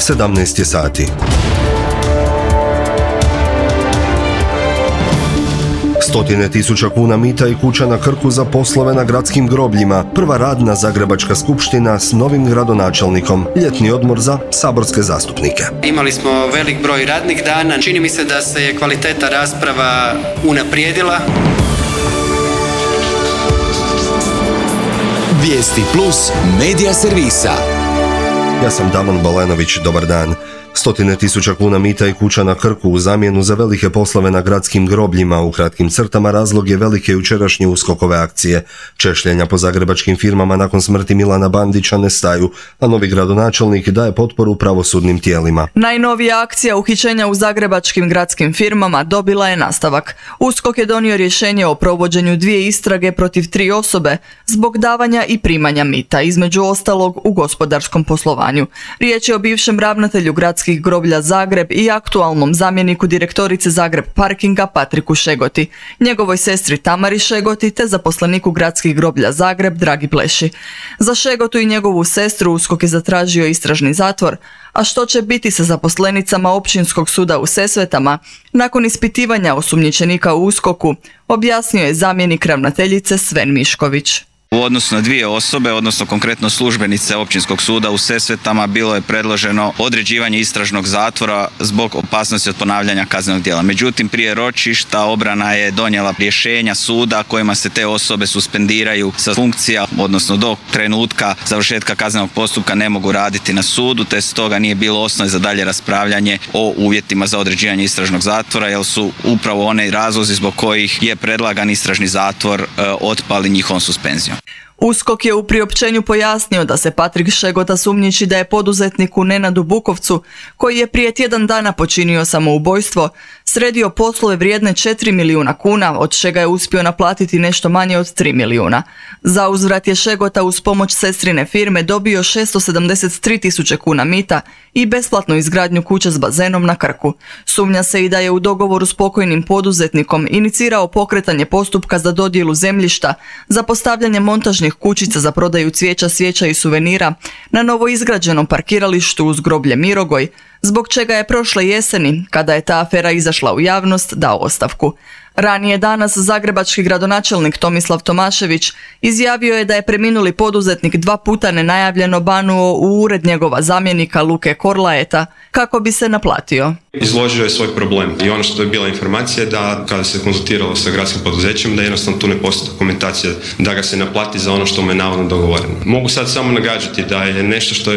17 je sati. Stotine tisuća kuna mita i kuća na Krku za poslove na gradskim grobljima. Prva radna Zagrebačka skupština s novim gradonačelnikom. Ljetni odmor za saborske zastupnike. Imali smo velik broj radnih dana. Čini mi se da se je kvaliteta rasprava unaprijedila. Vijesti plus medija servisa. Ja sam Damon Balenović, dobar dan. Stotine tisuća kuna mita i kuća na Krku u zamjenu za velike poslove na gradskim grobljima. U kratkim crtama razlog je velike jučerašnje USKOK-ove akcije. Češljenja po zagrebačkim firmama nakon smrti Milana Bandića ne staju, a novi gradonačelnik daje potporu pravosudnim tijelima. Najnovija akcija uhićenja u zagrebačkim gradskim firmama dobila je nastavak. USKOK je donio rješenje o provođenju 2 istrage protiv 3 osobe zbog davanja i primanja mita, između ostalog u gospodarskom poslovanju. Riječ je o bivšem ravnatelju gradskih groblja Zagreb i aktualnom zamjeniku direktorice Zagreb Parkinga Patriku Šegoti, njegovoj sestri Tamari Šegoti te zaposleniku gradskih groblja Zagreb Dragi Pleši. Za Šegotu i njegovu sestru USKOK je zatražio istražni zatvor, a što će biti sa zaposlenicama Općinskog suda u Sesvetama nakon ispitivanja osumnjičenika u USKOK-u, objasnio je zamjenik ravnateljice Sven Mišković. U odnosu na 2 osobe, odnosno konkretno službenice Općinskog suda u Sesvetama, bilo je predloženo određivanje istražnog zatvora zbog opasnosti od ponavljanja kaznenog djela. Međutim, prije ročišta obrana je donijela rješenja suda kojima se te osobe suspendiraju sa funkcija, odnosno do trenutka završetka kaznenog postupka ne mogu raditi na sudu, te stoga nije bilo osnove za dalje raspravljanje o uvjetima za određivanje istražnog zatvora, jer su upravo one razlozi zbog kojih je predlagan istražni zatvor otpali njihovom suspenzijom. USKOK je u priopćenju pojasnio da se Patrik Šegota sumnjiči da je poduzetniku Nenadu Bukovcu, koji je prije tjedan dana počinio samoubojstvo, sredio poslove vrijedne 4 milijuna kuna, od čega je uspio naplatiti nešto manje od 3 milijuna. Za uzvrat je Šegota uz pomoć sestrine firme dobio 673 tisuće kuna mita i besplatnu izgradnju kuće s bazenom na Krku. Sumnja se i da je u dogovoru s pokojnim poduzetnikom inicirao pokretanje postupka za dodjelu zemljišta, za postavljanje montažnih kućica za prodaju cvijeća, svijeća i suvenira na novoizgrađenom parkiralištu uz groblje Mirogoj, zbog čega je prošle jeseni, kada je ta afera izašla u javnost, dao ostavku. Ranije danas zagrebački gradonačelnik Tomislav Tomašević izjavio je da je preminuli poduzetnik 2 puta nenajavljeno banuo u ured njegova zamjenika Luke Korlaeta kako bi se naplatio. Izložio je svoj problem i ono što je bila informacija da kada se konzultiralo sa gradskim poduzećem da jednostavno tu ne postoji dokumentacija da ga se naplati za ono što mu je navodno dogovoreno. Mogu sad samo nagađati da je nešto što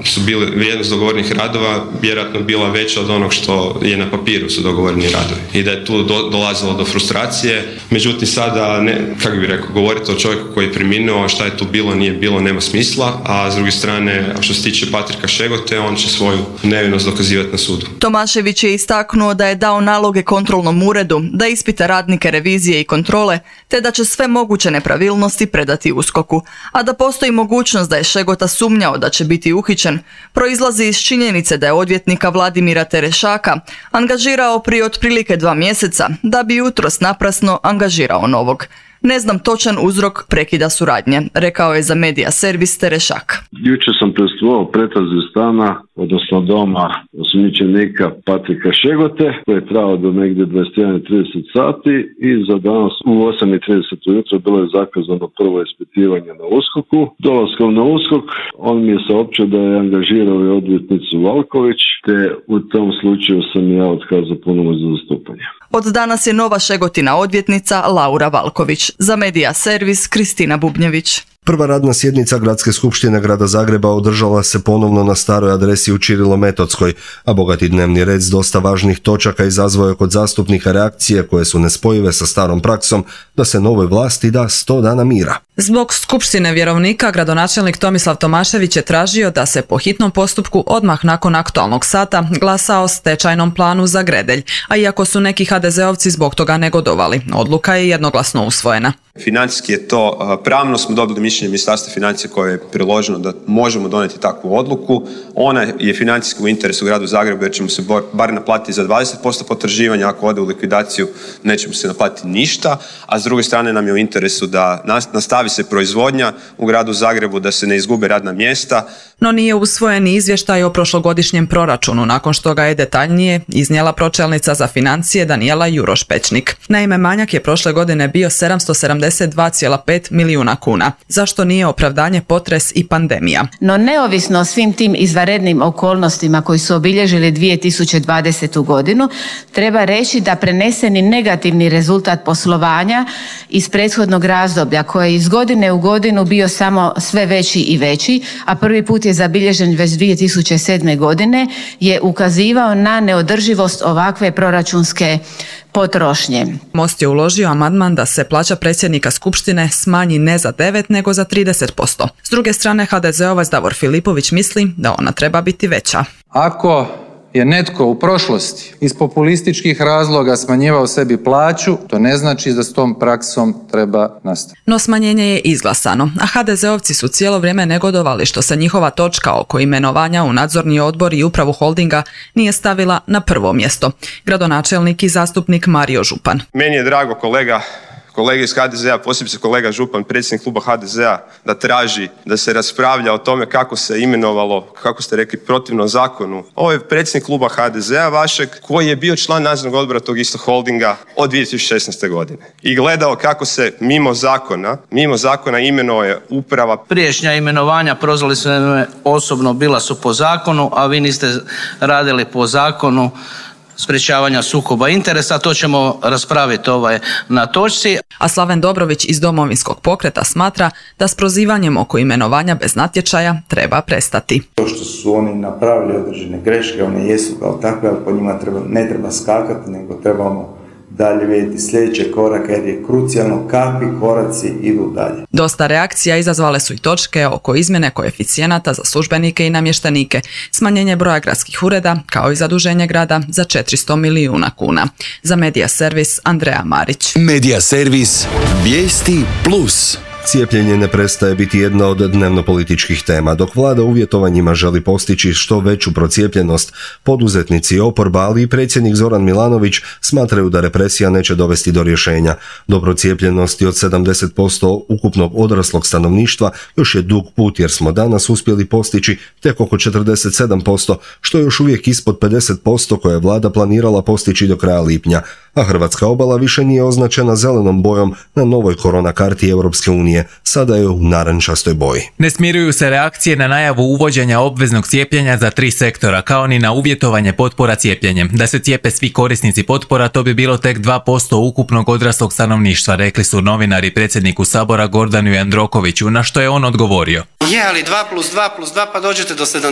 su bili vrijednost dogovorenih radova vjerojatno bila veća od onog što je na papiru su dogovoreni radovi i da je tu dolazilo do frustracije. Međutim sada, kako bih rekao, govoriti o čovjeku koji je preminuo, šta je tu bilo, nije bilo, nema smisla, a s druge strane, što se tiče Patrika Šegote, on će svoju nevinost dokazivati na sudu. Tomašević je istaknuo da je dao naloge kontrolnom uredu da ispita radnike revizije i kontrole, te da će sve moguće nepravilnosti predati USKOK-u, a da postoji mogućnost da je Šegota sumnjao da će biti uhićen, proizlazi iz činjenice da je odvjetnika Vladimira Terešaka angažirao prije otprilike 2 mjeseca, da bi jutros naprasno angažirao novog. Ne znam točan uzrok prekida suradnje, rekao je za medija servis Terešak. Jučer sam prisustvovao pretrazi stana, odnosno doma osumnjičenika Patrika Šegote, koji je trajao do negdje 21:30 sati i za danas u 8:30 ujutro bilo je zakazano prvo ispitivanje na USKOK-u. Dolaskom na USKOK on mi je saopćio da je angažirao i odvjetnicu Valković, te u tom slučaju sam ja otkazao punomoć za zastupanje. Od danas je nova Šegotina odvjetnica Laura Valković. Za medija servis Kristina Bubnjević. Prva radna sjednica Gradske skupštine Grada Zagreba održala se ponovno na staroj adresi u Čirilo-Metodskoj, a bogati dnevni red s dosta važnih točaka izazvao je kod zastupnika reakcije koje su nespojive sa starom praksom da se novoj vlasti da 100 dana mira. Zbog skupštine vjerovnika, gradonačelnik Tomislav Tomašević je tražio da se po hitnom postupku odmah nakon aktualnog sata glasa o stečajnom planu za Gredelj, a iako su neki HDZ-ovci zbog toga negodovali, odluka je jednoglasno usvojena. Financijski je to pravno, smo dobili mišljenje Ministarstva financija koje je priloženo da možemo donijeti takvu odluku. Ona je financijski u interesu gradu Zagrebu jer ćemo se bar naplatiti za 20% potraživanja, ako ode u likvidaciju nećemo se naplatiti ništa, a s druge strane nam je u interesu da nastavi se proizvodnja u gradu Zagrebu, da se ne izgube radna mjesta. No nije usvojen izvještaj o prošlogodišnjem proračunu, nakon što ga je detaljnije iznijela pročelnica za financije Danijela Juroš-Pečnik. Naime, manjak je prošle godine bio 772,5 milijuna kuna. Zašto nije opravdanje potres i pandemija? No neovisno o svim tim izvanrednim okolnostima koji su obilježili 2020. godinu, treba reći da preneseni negativni rezultat poslovanja iz prethodnog razdoblja koji je iz godine u godinu bio samo sve veći i veći, a prvi put je zabilježen već 2007. godine, je ukazivao na neodrživost ovakve proračunske potrošnje. Most je uložio amandman da se plaća predsjednika Skupštine smanji ne za 9 nego za 30%. S druge strane, HDZ-ovac Davor Filipović misli da ona treba biti veća. Ako je netko u prošlosti iz populističkih razloga smanjivao sebi plaću, to ne znači da s tom praksom treba nastaviti. No smanjenje je izglasano, a HDZ-ovci su cijelo vrijeme negodovali što se njihova točka oko imenovanja u nadzorni odbor i upravu holdinga nije stavila na prvo mjesto. Gradonačelnik i zastupnik Mario Župan. Meni je drago kolege iz HDZ-a, posebice kolega Župan, predsjednik kluba HDZ-a, da traži da se raspravlja o tome kako se imenovalo, kako ste rekli, protivno zakonu. Ovo je predsjednik kluba HDZ-a vašeg, koji je bio član nadzornog odbora tog istog holdinga od 2016. godine. I gledao kako se mimo zakona imenuje uprava. Prijašnja imenovanja, prozvali su me osobno, bila su po zakonu, a vi niste radili po zakonu sprječavanja sukoba interesa, to ćemo raspraviti na točci. A Slaven Dobrović iz Domovinskog pokreta smatra da s prozivanjem oko imenovanja bez natječaja treba prestati. To što su oni napravili određene greške, one jesu kao takve, ali po njima ne treba skakati, nego trebamo dalje vidjeti sljedeće korake jer je krucijalno kakvi koraci idu dalje. Dosta reakcija izazvale su i točke oko izmjene koeficijenata za službenike i namještenike, smanjenje broja gradskih ureda kao i zaduženje grada za 400 milijuna kuna. Za Medija Servis Andreja Marić. Medija Servis, vijesti plus. Cijepljenje ne prestaje biti jedna od dnevno-političkih tema, dok vlada uvjetovanjima želi postići što veću procijepljenost. Poduzetnici i oporba, ali i predsjednik Zoran Milanović smatraju da represija neće dovesti do rješenja. Do procijepljenosti od 70% ukupnog odraslog stanovništva još je dug put, jer smo danas uspjeli postići tek oko 47%, što je još uvijek ispod 50% koje je vlada planirala postići do kraja lipnja. A hrvatska obala više nije označena zelenom bojom na novoj korona karti Europske unije, sada je u narančastoj boji. Ne smiruju se reakcije na najavu uvođenja obveznog cijepljenja za 3 sektora, kao ni na uvjetovanje potpora cijepljenjem. Da se cijepe svi korisnici potpora, to bi bilo tek 2% ukupnog odraslog stanovništva, rekli su novinari predsjedniku Sabora Gordanu Jandrokoviću, na što je on odgovorio. Je, ali 2+2+2 pa dođete do 70%.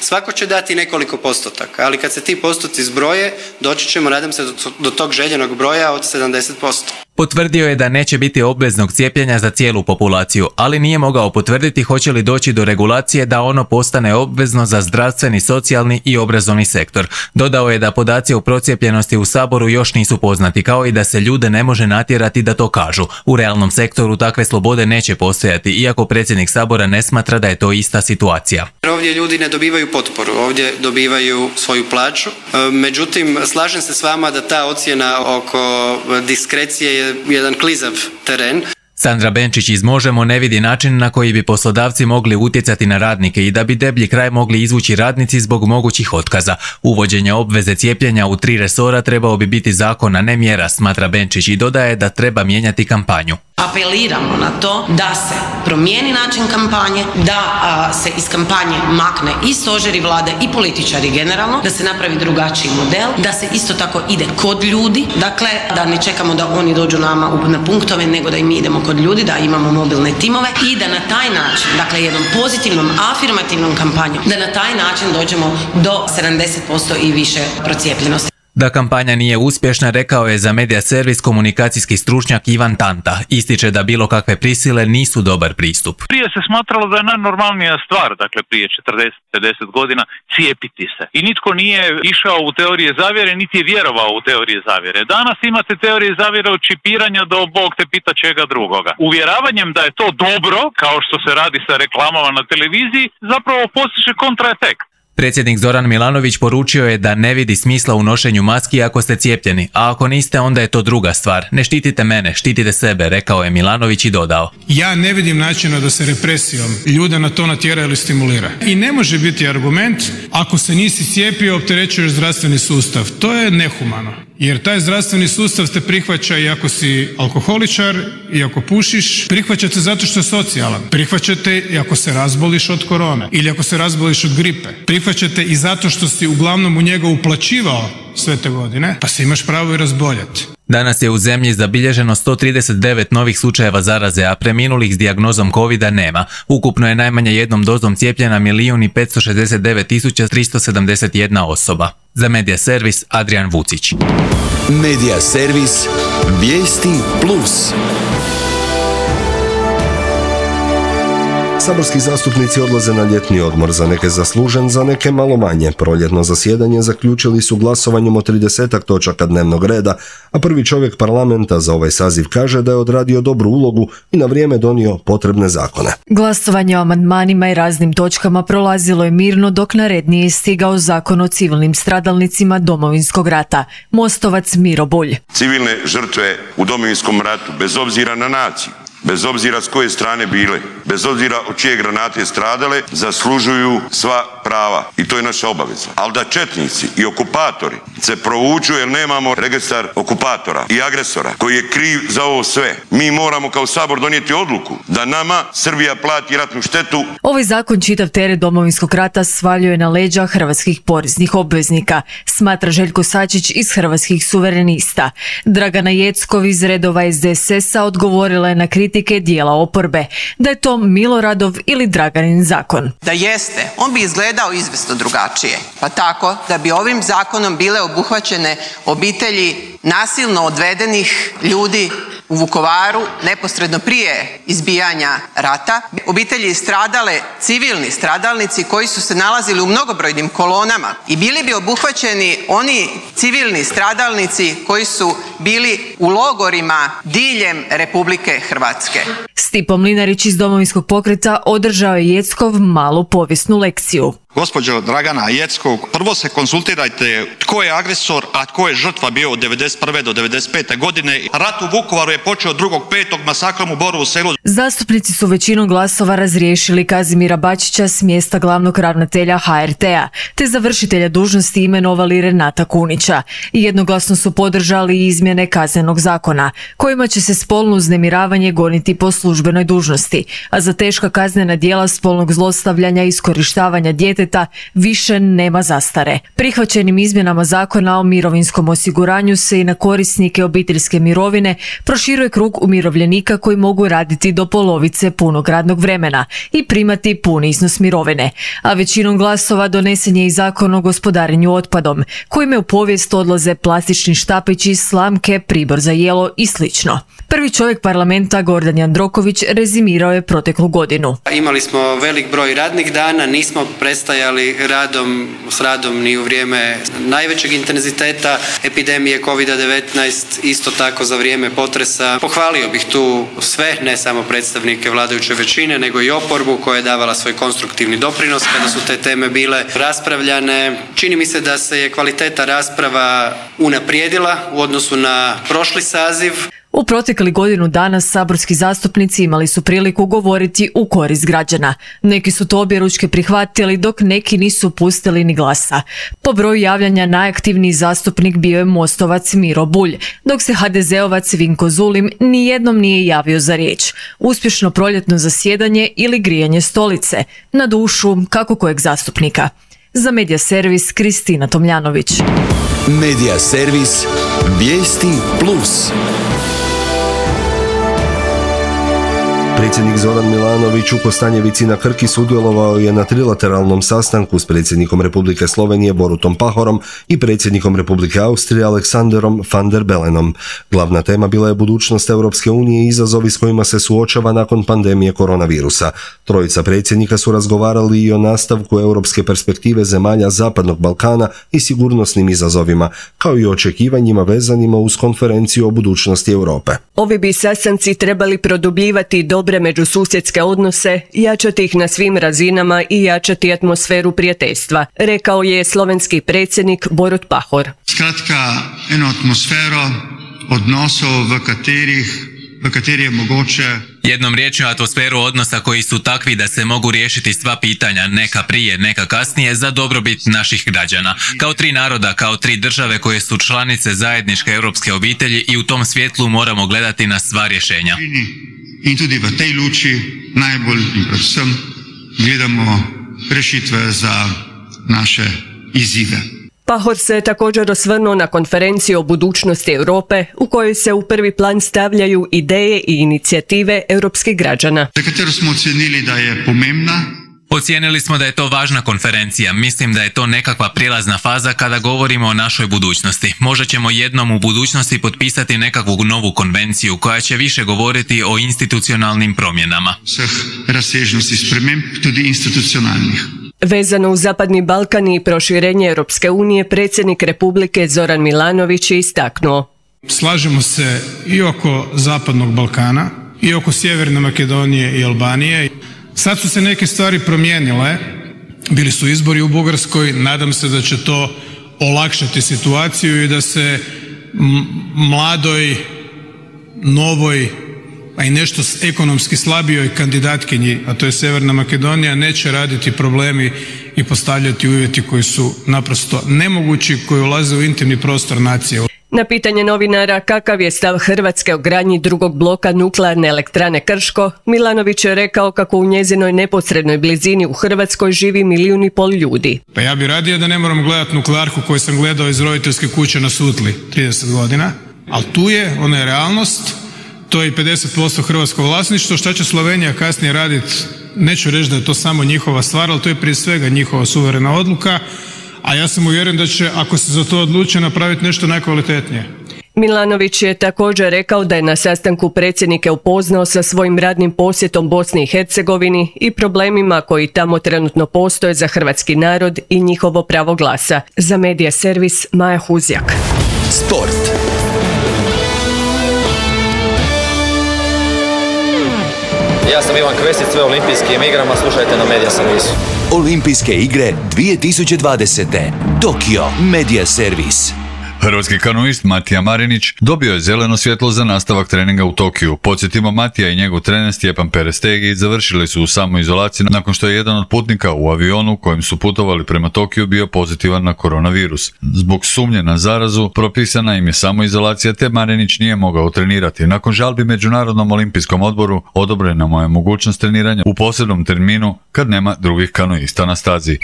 Svako će dati nekoliko postotaka, ali kad se ti postoci zbroje, doći ćemo, nadam se, do tog željenog broja od 70%. Potvrdio je da neće biti obveznog cijepljenja za cijelu populaciju, ali nije mogao potvrditi hoće li doći do regulacije da ono postane obvezno za zdravstveni, socijalni i obrazovni sektor. Dodao je da podaci o procijepljenosti u Saboru još nisu poznati, kao i da se ljude ne može natjerati da to kažu. U realnom sektoru takve slobode neće postojati, iako predsjednik Sabora ne smatra da je to ista situacija. Ovdje ljudi ne dobivaju potporu, ovdje dobivaju svoju plaću. Međutim, slažem se s vama da ta ocjena oko diskrecije je jedan klizav teren. Sandra Benčić iz Možemo ne vidi način na koji bi poslodavci mogli utjecati na radnike i da bi deblji kraj mogli izvući radnici zbog mogućih otkaza. Uvođenje obveze cijepljenja u 3 resora trebao bi biti zakon, a ne mjera, smatra Benčić, i dodaje da treba mijenjati kampanju. Apeliramo na to da se promijeni način kampanje, da se iz kampanje makne i stožeri vlade i političari generalno, da se napravi drugačiji model, da se isto tako ide kod ljudi, dakle da ne čekamo da oni dođu nama na punktove, nego da i mi idemo kod ljudi, da imamo mobilne timove i da na taj način, dakle jednom pozitivnom, afirmativnom kampanjom, da na taj način dođemo do 70% i više procijepljenosti. Da kampanja nije uspješna, rekao je za Medija Servis komunikacijski stručnjak Ivan Tanta. Ističe da bilo kakve prisile nisu dobar pristup. Prije se smatralo da je najnormalnija stvar, dakle prije 40-50 godina, cijepiti se. I nitko nije išao u teorije zavjere, niti je vjerovao u teorije zavjere. Danas imate teorije zavjere od čipiranja do Bog te pita čega drugoga. Uvjeravanjem da je to dobro, kao što se radi sa reklamama na televiziji, zapravo postiže kontraefekt. Predsjednik Zoran Milanović poručio je da ne vidi smisla u nošenju maski ako ste cijepljeni, a ako niste onda je to druga stvar. Ne štitite mene, štitite sebe, rekao je Milanović i dodao. Ja ne vidim načina da se represijom ljude na to natjera ili stimulira. I ne može biti argument ako se nisi cijepio opterećuješ zdravstveni sustav. To je nehumano. Jer taj zdravstveni sustav te prihvaća i ako si alkoholičar i ako pušiš, prihvaćate zato što je socijalan. Prihvaćate i ako se razboliš od korone ili ako se razboliš od gripe. Prihvaćate i zato što si uglavnom u njega uplaćivao sve te godine, pa se imaš pravo i razboljeti. Danas je u zemlji zabilježeno 139 novih slučajeva zaraze, a preminulih s dijagnozom covida nema. Ukupno je najmanje jednom dozom cijepljena 1.569.371 osoba. Za Medija Servis, Adrian Vucić. Medija Servis, vijesti plus. Saborski zastupnici odlaze na ljetni odmor, za neke zaslužen, za neke malo manje. Proljetno zasjedanje zaključili su glasovanjem o 30 točaka dnevnog reda, a prvi čovjek parlamenta za ovaj saziv kaže da je odradio dobru ulogu i na vrijeme donio potrebne zakone. Glasovanje o amandmanima i raznim točkama prolazilo je mirno dok na red nije stigao Zakon o civilnim stradalnicima Domovinskog rata. Mostovac Miro Bulj. Civilne žrtve u Domovinskom ratu, bez obzira na naciju, bez obzira s koje strane bile, bez obzira od čije granate stradale, zaslužuju sva prava i to je naša obaveza. Ali da četnici i okupatori se provuču jer nemamo registar okupatora i agresora koji je kriv za ovo sve. Mi moramo kao Sabor donijeti odluku da nama Srbija plati ratnu štetu. Ovaj zakon čitav teret Domovinskog rata svaljuje na leđa hrvatskih poreznih obveznika, smatra Željko Sačić iz Hrvatskih suverenista. Dragana Jeckov iz redova SDSS-a odgovorila je na kritike dijela oporbe, da je to Miloradov ili Draganin zakon. Da jeste, on bi izgledao izvjesno drugačije. Pa tako da bi ovim zakonom bile obuhvaćene obitelji nasilno odvedenih ljudi u Vukovaru neposredno prije izbijanja rata, obitelji stradale, civilni stradalnici koji su se nalazili u mnogobrojnim kolonama i bili bi obuhvaćeni oni civilni stradalnici koji su bili u logorima diljem Republike Hrvatske. Stipo Mlinarić iz Domovinskog pokreta održao je Jeckov malu povijesnu lekciju. Gospođo Dragana Jeckov, prvo se konsultirajte tko je agresor, a tko je žrtva bio od 1991. do 1995. godine. Rat u Vukovaru je počeo 2.5. masakrom u Borovu Selu. Zastupnici su većinom glasova razriješili Kazimira Bačića s mjesta glavnog ravnatelja HRT-a, te za vršitelja dužnosti imenovali Renata Kunića. Jednoglasno su podržali izmjene Kaznenog zakona, kojima će se spolno uznemiravanje goniti po službenoj dužnosti, a za teška kaznena djela spolnog zlostavljanja i iskorištavanja djeteta više nema zastare. Prihvaćenim izmjenama Zakona o mirovinskom osiguranju se i na korisnike obiteljske mirovine proširuje krug umirovljenika koji mogu raditi do polovice punog radnog vremena i primati puni iznos mirovine. A većinom glasova donesen je i Zakon o gospodarenju otpadom, kojime u povijest odlaze plastični štapići, slamke, pribor za jelo i slično. Prvi čovjek parlamenta Gordan Jandroković rezimirao je proteklu godinu. Imali smo velik broj radnih dana, nismo prestajali s radom ni u vrijeme najvećeg intenziteta epidemije COVID-19, isto tako za vrijeme potresa. Pohvalio bih tu sve, ne samo predstavnike vladajuće većine, nego i oporbu koja je davala svoj konstruktivni doprinos kada su te teme bile raspravljane. Čini mi se da se je kvaliteta rasprava unaprijedila u odnosu na prošli saziv. U protekli godinu dana saborski zastupnici imali su priliku govoriti u korist građana. Neki su to objeručke prihvatili, dok neki nisu pustili ni glasa. Po broju javljanja najaktivniji zastupnik bio je Mostovac Miro Bulj, dok se HDZ-ovac Vinko Zulim nijednom nije javio za riječ. Uspješno proljetno zasjedanje ili grijanje stolice, na dušu kako kojeg zastupnika. Za Medija Servis, Kristina Tomljanović. Medija Servis, vijesti plus. Predsjednik Zoran Milanović u Kostanjevici na Krki sudjelovao je na trilateralnom sastanku s predsjednikom Republike Slovenije Borutom Pahorom i predsjednikom Republike Austrije Aleksanderom van der Bellenom. Glavna tema bila je budućnost Europske unije i izazovi s kojima se suočava nakon pandemije koronavirusa. Trojica predsjednika su razgovarali i o nastavku europske perspektive zemalja Zapadnog Balkana i sigurnosnim izazovima, kao i o očekivanjima vezanima uz konferenciju o budućnosti Europe. Ovi bi sastanci trebali produbljivati dobre međususjedske odnose, jačati ih na svim razinama i jačati atmosferu prijateljstva, rekao je slovenski predsjednik Borut Pahor. Skratka, eno atmosfero odnosov, v kateri je mogoče... Jednom riječju atmosferu odnosa koji su takvi da se mogu riješiti sva pitanja, neka prije, neka kasnije, za dobrobit naših građana. Kao tri naroda, kao tri države koje su članice zajedničke europske obitelji i u tom svjetlu moramo gledati na sva rješenja. In tudi v tej luči najbolj in predvsem gledamo rešitve za naše izzive. Pahor se također osvrnuo na konferenciju o budućnosti Europe u kojoj se u prvi plan stavljaju ideje i inicijative europskih građana. Za katero smo ocenili da je pomembna. Ocijenili smo da je to važna konferencija. Mislim da je to nekakva prijelazna faza kada govorimo o našoj budućnosti. Možda ćemo jednom u budućnosti potpisati nekakvu novu konvenciju koja će više govoriti o institucionalnim promjenama. Svih razsežnosti sprememb, tudi institucionalnih. Vezano uz Zapadni Balkan i proširenje Europske unije, predsjednik Republike Zoran Milanović je istaknuo. Slažemo se i oko Zapadnog Balkana, i oko Sjeverne Makedonije i Albanije. Sad su se neke stvari promijenile, bili su izbori u Bugarskoj, nadam se da će to olakšati situaciju i da se mladoj, novoj, a i nešto ekonomski slabijoj kandidatkinji, a to je Sjeverna Makedonija, neće raditi problemi i postavljati uvjeti koji su naprosto nemogući, koji ulaze u intimni prostor nacije. Na pitanje novinara kakav je stav Hrvatske o gradnji drugog bloka nuklearne elektrane Krško, Milanović je rekao kako u njezinoj neposrednoj blizini u Hrvatskoj živi 1,5 milijuna ljudi. Pa ja bi radio da ne moram gledati nuklearku koju sam gledao iz roditeljske kuće na Sutli 30 godina, ali tu je, ona je realnost. To je i 50% hrvatskog vlasništva. Šta će Slovenija kasnije raditi? Neću reći da je to samo njihova stvar, ali to je prije svega njihova suverena odluka, a ja sam uvjeren da će, ako se za to odluče, napraviti nešto najkvalitetnije. Milanović je također rekao da je na sastanku predsjednike upoznao sa svojim radnim posjetom Bosni i Hercegovini i problemima koji tamo trenutno postoje za hrvatski narod i njihovo pravo glasa. Za Medija servis Maja Huzjak. Sport. Ja sam Ivan Kvesić, sve olimpijskim igrama, slušajte na Medija servisu. Olimpijske igre 2020. Tokio Medija servis. Hrvatski kanoist Matija Marinić dobio je zeleno svjetlo za nastavak treninga u Tokiju. Podsjetimo, Matija i njegov trener Stjepan Perestegi završili su u samoizolaciji nakon što je jedan od putnika u avionu kojim su putovali prema Tokiju bio pozitivan na koronavirus. Zbog sumnje na zarazu propisana im je samoizolacija te Marinić nije mogao trenirati. Nakon žalbi Međunarodnom olimpijskom odboru odobrena mu je mogućnost treniranja u posebnom terminu kad nema drugih kanoista na stazi.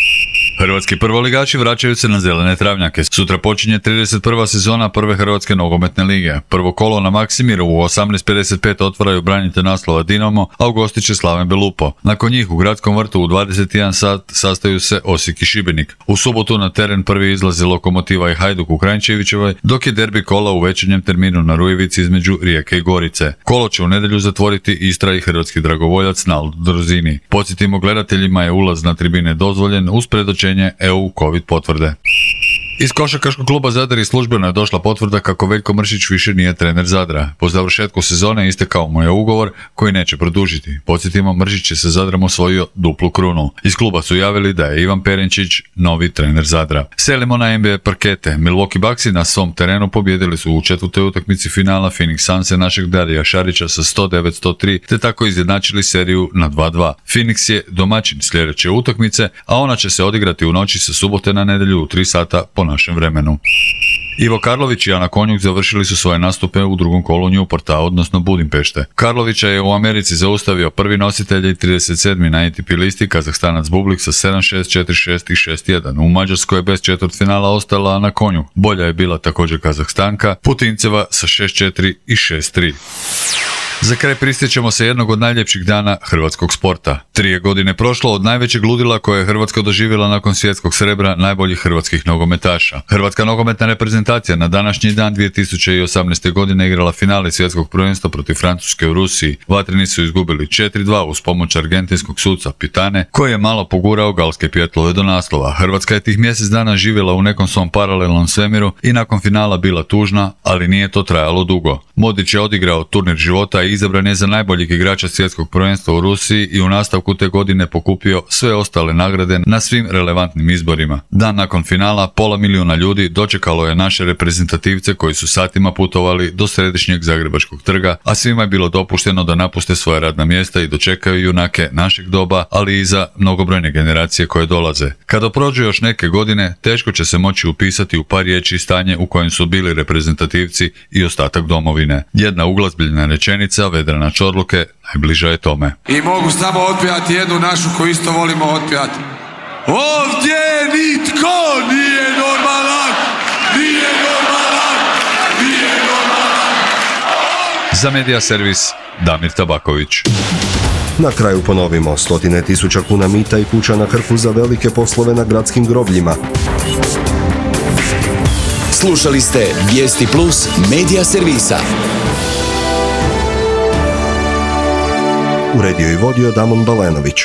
Hrvatski prvoligaši vraćaju se na zelene travnjake. Sutra počinje 31. sezona prve Hrvatske nogometne lige. Prvo kolo na Maksimiru u 18:55 otvaraju branitelj naslova Dinamo, a u gosti će Slaven Belupo. Nakon njih u Gradskom vrtu u 21 sat sastaju se Osijek i Šibenik. U subotu na teren prvi izlazi Lokomotiva i Hajduk u Kranjčevićevoj, dok je derbi kola u večernjem terminu na Rujevici između Rijeke i Gorice. Kolo će u nedjelju zatvoriti Istra i hrvatski dragovoljac Naldo Drozini. Podsjetimo, gledateljima je ulaz na tribine dozvoljen uz predočenje EU COVID potvrde. Iz košarkaškog kluba Zadar i službeno je došla potvrda kako Veljko Mršić više nije trener Zadra. Po završetku sezone istekao mu je ugovor koji neće produžiti. Podsjetimo, Mršić je sa Zadrom osvojio duplu krunu. Iz kluba su javili da je Ivan Perenčić novi trener Zadra. Selimo na NBA parkete. Milwaukee Bucksi na svom terenu pobjedili su u četvrtoj utakmici finala Phoenix Sunse našeg Darija Šarića sa 109-103 te tako izjednačili seriju na 2-2. Phoenix je domaćin sljedeće utakmice, a ona će se odigrati u noći sa subote na nedjelju u 3 sata po našem vremenu. Ivo Karlović i Ana Konjuk završili su svoje nastupe u drugom kolu Newporta, odnosno Budimpešte. Karlovića je u Americi zaustavio prvi nositelj i 37. na ATP listi Kazahstanac Bublik sa 7-6, 4-6 i 6-1. U Mađarskoj je bez četvrtfinala ostala Ana Konjuk. Bolja je bila također Kazahstanka Putinceva sa 6-4 i 6-3. Za kraj prisjećamo se jednog od najljepših dana hrvatskog sporta. 3 je godine prošlo od najvećeg ludila koje je Hrvatska doživjela nakon svjetskog srebra najboljih hrvatskih nogometaša. Hrvatska nogometna reprezentacija na današnji dan 2018. godine igrala finale svjetskog prvenstva protiv Francuske u Rusiji. Vatreni su izgubili 4-2 uz pomoć argentinskog suca Pitane, koji je malo pogurao galske pijetlove do naslova. Hrvatska je tih mjesec dana živjela u nekom svom paralelnom svemiru i nakon finala bila tužna, ali nije to trajalo dugo. Modrić je odigrao turnir života i izabran je za najboljeg igrača svjetskog prvenstva u Rusiji i u nastavku te godine pokupio sve ostale nagrade na svim relevantnim izborima. Dan nakon finala 500.000 ljudi dočekalo je naše reprezentativce koji su satima putovali do središnjeg Zagrebačkog trga, a svima je bilo dopušteno da napuste svoja radna mjesta i dočekaju junake našeg doba, ali i za mnogobrojne generacije koje dolaze. Kada prođu još neke godine, teško će se moći upisati u par riječi stanje u kojem su bili reprezentativci i ostatak domovine. Jedna uglazbiljena rečenica Vedrana Čorluke najbliža je tome. I mogu samo otpjevati jednu našu koju isto volimo otpjevati. Ovdje nitko nije normalan, nije normalan, nije normalan. Za Medija servis Damir Tabaković. Na kraju ponovimo, 100.000 kuna mita i kuća na Krku za velike poslove na gradskim grobljima. Slušali ste Vijesti Plus Medija servisa. Uredio i vodio Damon Balenović.